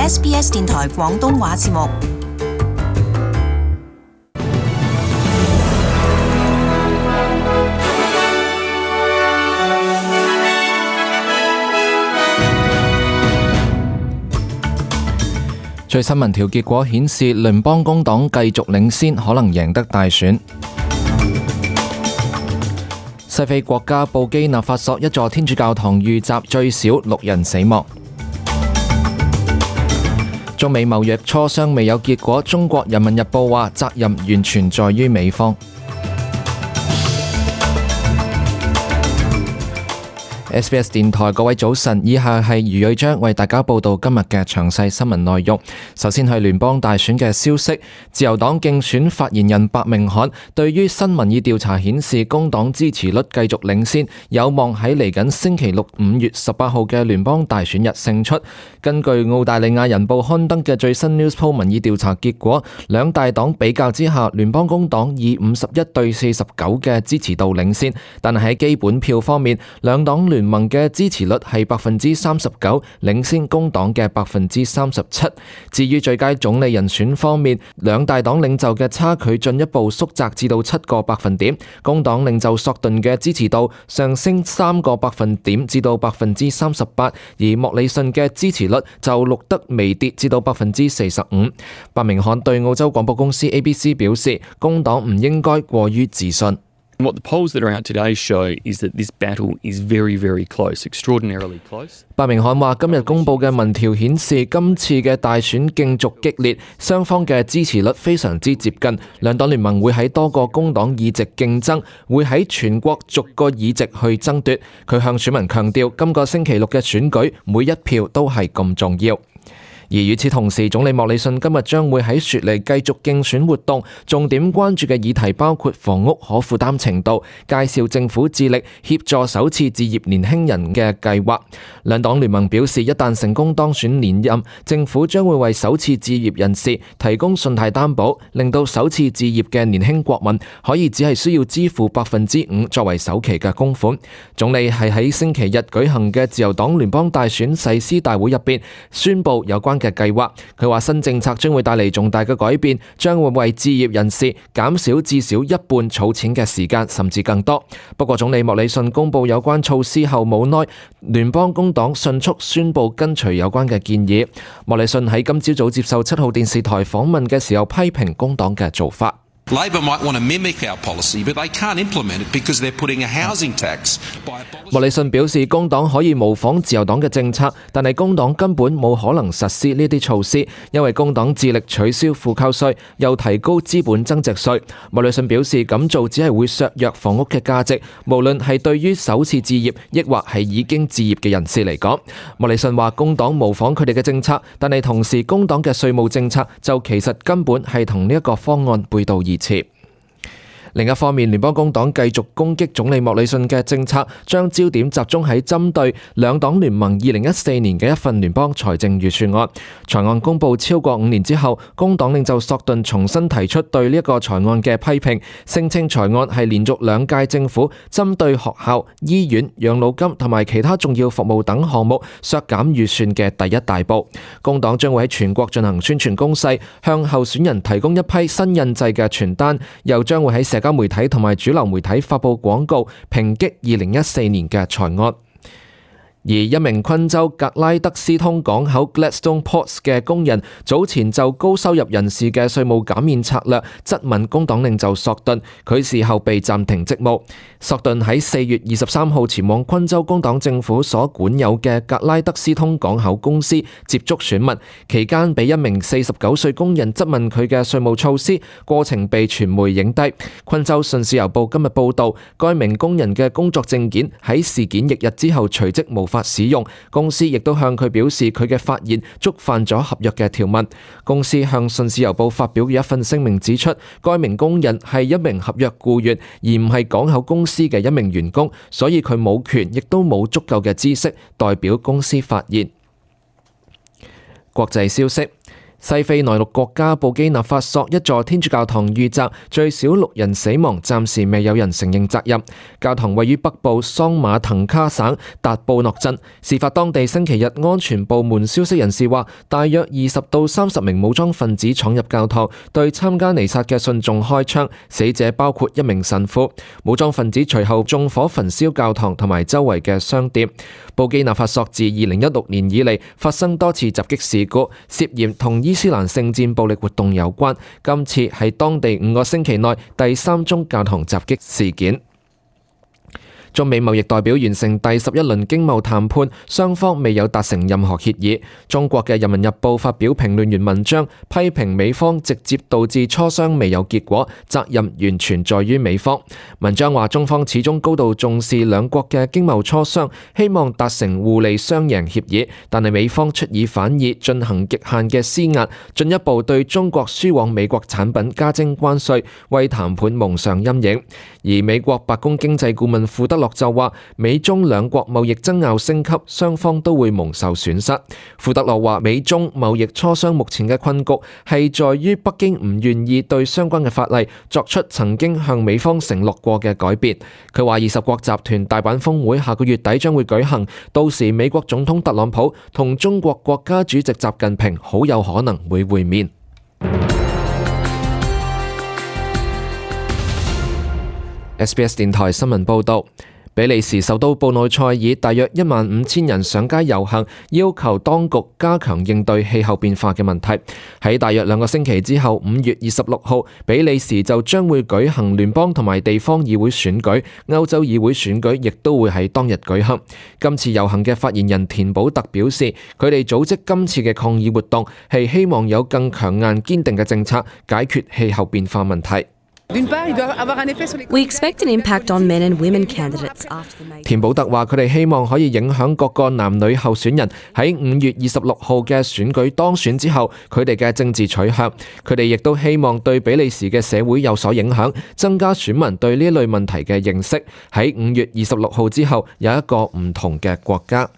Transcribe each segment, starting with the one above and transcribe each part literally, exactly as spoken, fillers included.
S B S 電台廣東話節目。最新民調結果顯示，聯邦工黨繼續領先，可能贏得大選。西非國家布基納法索一座天主教堂遇襲，最少六人死亡。中美貿易磋商未有結果，中國人民日報話責任完全在於美方。S B S 電台各位早晨，以下係余瑞章為大家報道今日嘅詳細新聞內容。首先係聯邦大選嘅消息，自由黨競選發言人白明翰對於新民意調查顯示工黨支持率繼續領先，有望喺嚟緊星期六五月十八號嘅聯邦大選日勝出。根據澳大利亞人報刊登嘅最新 Newspoll 民意調查結果，兩大黨比較之下，聯邦工黨以五十一對四十九嘅支持度領先，但係喺基本票方面，兩黨聯盟嘅支持率係百分之三十九，領先工黨嘅百分之三十七。至於最佳總理人選方面，兩大黨領袖嘅差距進一步縮窄至到七個百分點。工黨領袖索頓嘅支持度上升三個百分點至到百分之三十八，而莫里遜嘅支持率就錄得微跌至到百分之四十五。白明翰對澳洲廣播公司 A B C 表示，工黨唔應該過於自信。What the polls that are out today show is that this battle is very, very close, extraordinarily close. 白明翰話：今日公佈嘅民調顯示，今次嘅大選競逐激烈，雙方嘅支持率非常之接近。兩黨聯盟會喺多個工黨議席競爭，會喺全國逐個議席去爭奪。佢向選民強調，今個星期六嘅選舉，每一票都係咁重要。而與此同時，總理莫里遜今日將會喺雪梨繼續競選活動，重點關注嘅議題包括房屋可負擔程度，介紹政府致力協助首次置業年輕人嘅計劃。兩黨聯盟表示，一旦成功當選連任，政府將會為首次置業人士提供信貸擔保，令到首次置業嘅年輕國民可以只係需要支付百分之五作為首期嘅供款。總理係喺星期日舉行嘅自由黨聯邦大選誓師大會入邊宣布有關嘅計劃。佢話新政策將會帶嚟重大嘅改變，將會為置業人士減少至少一半儲錢嘅時間，甚至更多。不過總理莫里遜公布有關措施後冇耐，聯邦工黨迅速宣布跟隨有關嘅建議。莫里遜喺今朝早接受七號電視台訪問嘅時候批評工黨嘅做法。Labor might want to mimic our policy, but they can't implement it because they're putting a housing tax by abolishing... 莫里遜表示，工黨可以模仿自由黨嘅政策，但係工黨根本冇可能實施呢啲措施，因為工黨致力取消負扣稅，又提高資本增值稅。莫里遜表示，咁做只係會削弱房屋嘅價值，無論係對於首次置業，抑或係已經置業嘅人士嚟講。莫里遜話，工黨模仿佢哋嘅政策，但係同時工黨嘅稅務政策就其實根本係同呢一個方案背道而馳。另一方面，聯邦工黨繼續攻擊總理莫里遜嘅政策，將焦點集中喺針對兩黨聯盟二零一四年嘅一份聯邦財政預算案。財案公佈超過五年之後，工黨領袖索頓重新提出對呢一個財案嘅批評，聲稱財案係連續兩屆政府針對學校、醫院、養老金同埋其他重要服務等項目削減預算嘅第一大步。工黨將會喺全國進行宣傳攻勢，向候選人提供一批新印製嘅傳單，又將會喺社交媒體同埋主流媒體發佈廣告，抨擊二零一四年嘅財案。而一名昆州格拉德斯通港口 Gladstone Ports 嘅工人早前就高收入人士嘅稅務減免策略質問工黨領袖索頓，佢事後被暫停職務。索頓喺四月二十三號前往昆州工黨政府所管有嘅格拉德斯通港口公司接觸選民，期間被一名四十九歲工人質問佢嘅稅務措施，過程被傳媒影低。昆州信使郵報今日報道，該名工人嘅工作證件喺事件翌日之後隨即無法使用，公司亦都向佢表示佢嘅發言觸犯咗合約嘅條文。公司向信使郵報發表嘅一份聲明指出，該名工人係一名合約僱員，而唔係港口公司嘅一名員工，所以佢冇權亦都冇足夠嘅知識代表公司發言。國際消息。西非內陸國家布基納法索一座天主教堂遇襲，最少六人死亡，暫時未有人承認責任。教堂位於北部桑馬騰卡省達布諾鎮。事發當地星期日，安全部門消息人士話，大約二十到三十名武裝分子闖入教堂，對參加彌撒嘅信眾開槍，死者包括一名神父。武裝分子隨後縱火焚燒教堂同埋周圍嘅商店。布基納法索自二零一六年以嚟發生多次襲擊事故，涉嫌同伊斯蘭聖戰暴力活動有關。今次係當地五個星期內第三宗教堂襲擊事件。中美貿易代表完成第十一輪經貿談判，雙方未有達成任何協議。中國嘅《人民日報》發表評論員文章，批評美方直接導致磋商未有結果，責任完全在於美方。文章話，中方始終高度重視兩國嘅經貿磋商，希望達成互利雙贏協議，但係美方出爾反爾，進行極限嘅施壓，進一步對中國輸往美國產品加徵關稅，為談判蒙上陰影。而美國白宮經濟顧問庫德洛就話，美中兩國貿易爭拗升級，雙方都會蒙受損失。庫德洛話，美中貿易磋商目前嘅困局係在於北京唔願意對相關嘅法例作出曾經向美方承諾過嘅改變。佢話，二十國集團大阪峰會下個月底將會舉行，到時美國總統特朗普同中國國家主席習近平好有可能會會面。S B S 電台新聞報道，比利時首都布魯塞爾大約一萬五千人上街遊行，要求當局加強應對氣候變化嘅問題。喺大約兩個星期之後，五月二十六號，比利時就將會舉行聯邦同埋地方議會選舉，歐洲議會選舉亦都會喺當日舉行。今次遊行嘅發言人田保特表示，佢哋組織今次嘅抗議活動係希望有更強硬堅定嘅政策解決氣候變化問題。We expect an impact on men and women candidates after the May. 田保特話：佢哋希望可以影響各個男女候選人喺五月二十六號嘅選舉當選之後，佢哋嘅政治取向。佢哋亦都希望對比利時嘅社會有所影響，增加選民對呢類問題嘅認識。喺五月二十六號之後，有一個唔同嘅國家。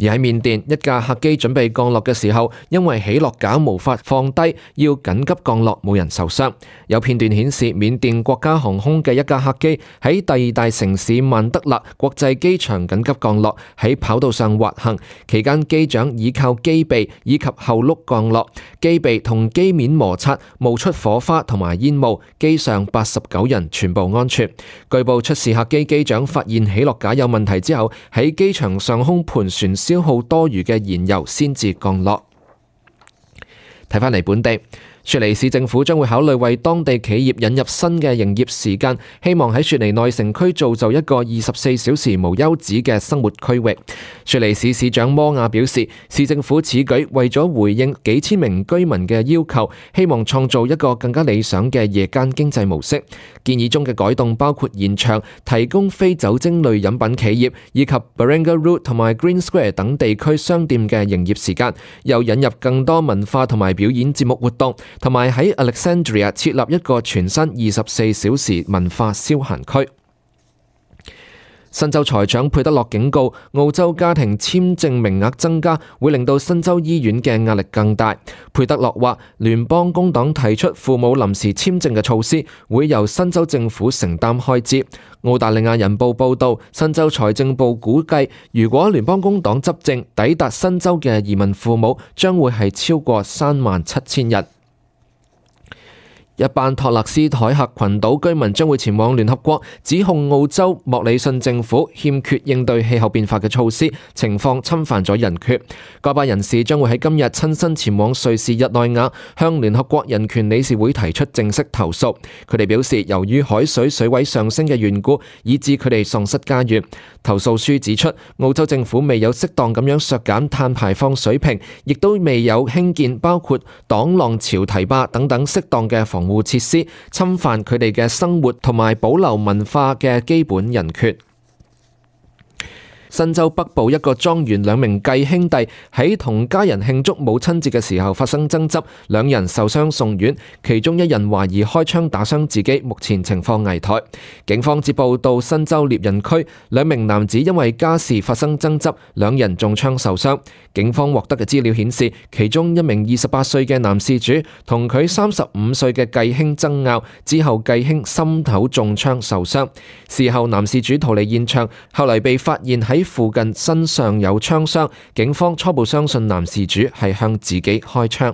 而喺緬甸，一架客機準備降落嘅時候，因為起落架無法放低，要緊急降落，冇人受傷。有片段顯示，緬甸國家航空嘅一架客機喺第二大城市曼德勒國際機場緊急降落，喺跑道上滑行，期間機長倚靠機臂以及後轆降落，機臂同機面摩擦，冒出火花同埋煙霧，機上八十九人全部安全。據報出事客機機長發現起落架有問題之後，喺機場上空盤旋消耗多餘嘅燃油先至降落。睇返嚟本地，雪梨市政府將會考慮為當地企業引入新嘅營業時間，希望喺雪梨內城區造就一個二十四小時無休止嘅生活區域。雪梨市市長摩亞表示，市政府此舉為咗回應幾千名居民嘅要求，希望創造一個更加理想嘅夜間經濟模式。建議中嘅改動包括延長提供非酒精類飲品企業以及 Baringa Road 同埋 Green Square 等地區商店嘅營業時間，又引入更多文化同埋表演節目活動，同埋喺 Alexandria 設立一個全新二十四小時文化消閒區。新州財長佩德洛警告，澳洲家庭簽證名額增加會令到新州醫院嘅壓力更大。佩德洛話，聯邦工黨提出父母臨時簽證嘅措施，會由新州政府承擔開支。澳大利亞人報報道，新州財政部估計，如果聯邦工黨執政，抵達新州嘅移民父母將會係超過三萬七千人。一班托勒斯海峽群島居民將會前往聯合國，指控澳洲莫里遜政府欠缺應對氣候變化嘅措施，情況侵犯咗人權。該班人士將會喺今日親身前往瑞士日內瓦，向聯合國人權理事會提出正式投訴。佢哋表示，由於海水水位上升嘅緣故，以致佢哋喪失家園。投訴書指出，澳洲政府未有適當咁樣削減碳排放水平，亦都未有興建包括擋浪潮堤壩等等適當嘅防護設施，侵犯佢哋嘅生活同埋保留文化嘅基本人權。新州北部一個莊園兩名繼兄弟喺同家人慶祝母親節嘅時候發生爭執，兩人受傷送院，其中一人懷疑開槍打傷自己，目前情況危殆。警方接報到新州獵人區，兩名男子因為家事發生爭執，兩人中槍受傷。警方獲得嘅資料顯示，其中一名二十八歲嘅男事主同佢三十五歲嘅繼兄爭拗，之後繼兄心頭中槍受傷。事後男事主逃離現場，後嚟被發現喺附近身上有槍傷，警方初步相信男事主係向自己開槍。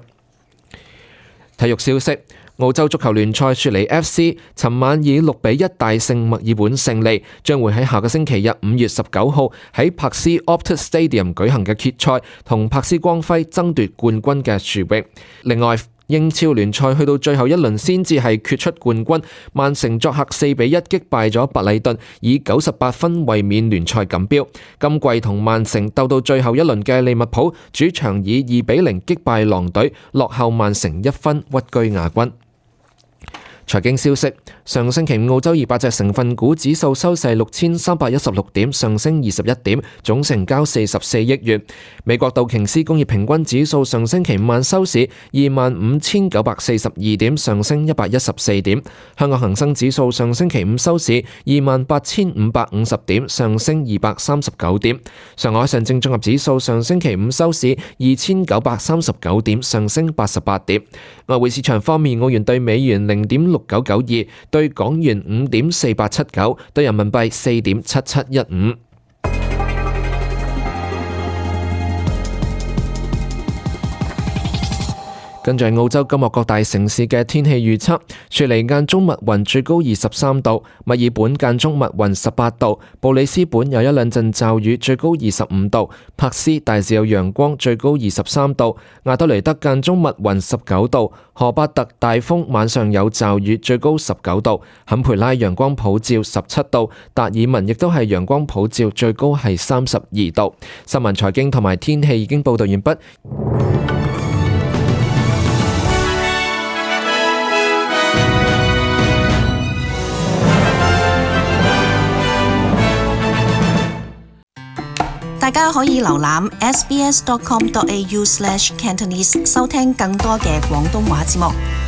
體育消息，澳洲足球聯賽雪梨 F C 尋晚以六比一大勝墨爾本勝利，將會喺下個星期日五月十九號喺柏斯 Optus Stadium 舉行嘅決賽，同柏斯光輝爭奪冠軍嘅殊榮。另外，英超聯賽去到最後一輪先至係決出冠軍，曼城作客四比一擊敗咗白禮頓，以九十八分衛冕聯賽錦標。今季同曼城鬥到最後一輪嘅利物浦主場以二比零擊敗狼隊，落後曼城一分，屈居亞軍。財經消息，上星期五澳洲二百隻成分股指數收市六千三百一十六點，上升二十一點，總成交四十四億元。美國道瓊斯工業平均指數上星期五晚收市二萬五千九百四十二點，上升一百一十四點。香港恒生指數上星期五收市二萬八千五百五十點，上升二百三十九點。上海上證綜合指數上星期五收市二千九百三十九點，上升八十八點。外匯市場方面，澳元對美元零點六九九二，對港元五點四八七九，對人民幣四點七七一五。跟住係澳洲今日各大城市嘅天氣預測：雪梨間中密雲，最高二十三度；墨爾本間中密雲，十八度；布里斯本有一兩陣驟雨，最高二十五度；柏斯大致有陽光，最高二十三度；亞德雷德間中密雲，十九度；荷巴特大風，晚上有驟雨，最高十九度；坎培拉陽光普照，十七度；達爾文亦都係陽光普照，最高係三十二度。新聞財經同埋天氣已經報道完畢。大家可以瀏覽 s b s dot com dot a u slash cantonese 收聽更多嘅廣東話節目。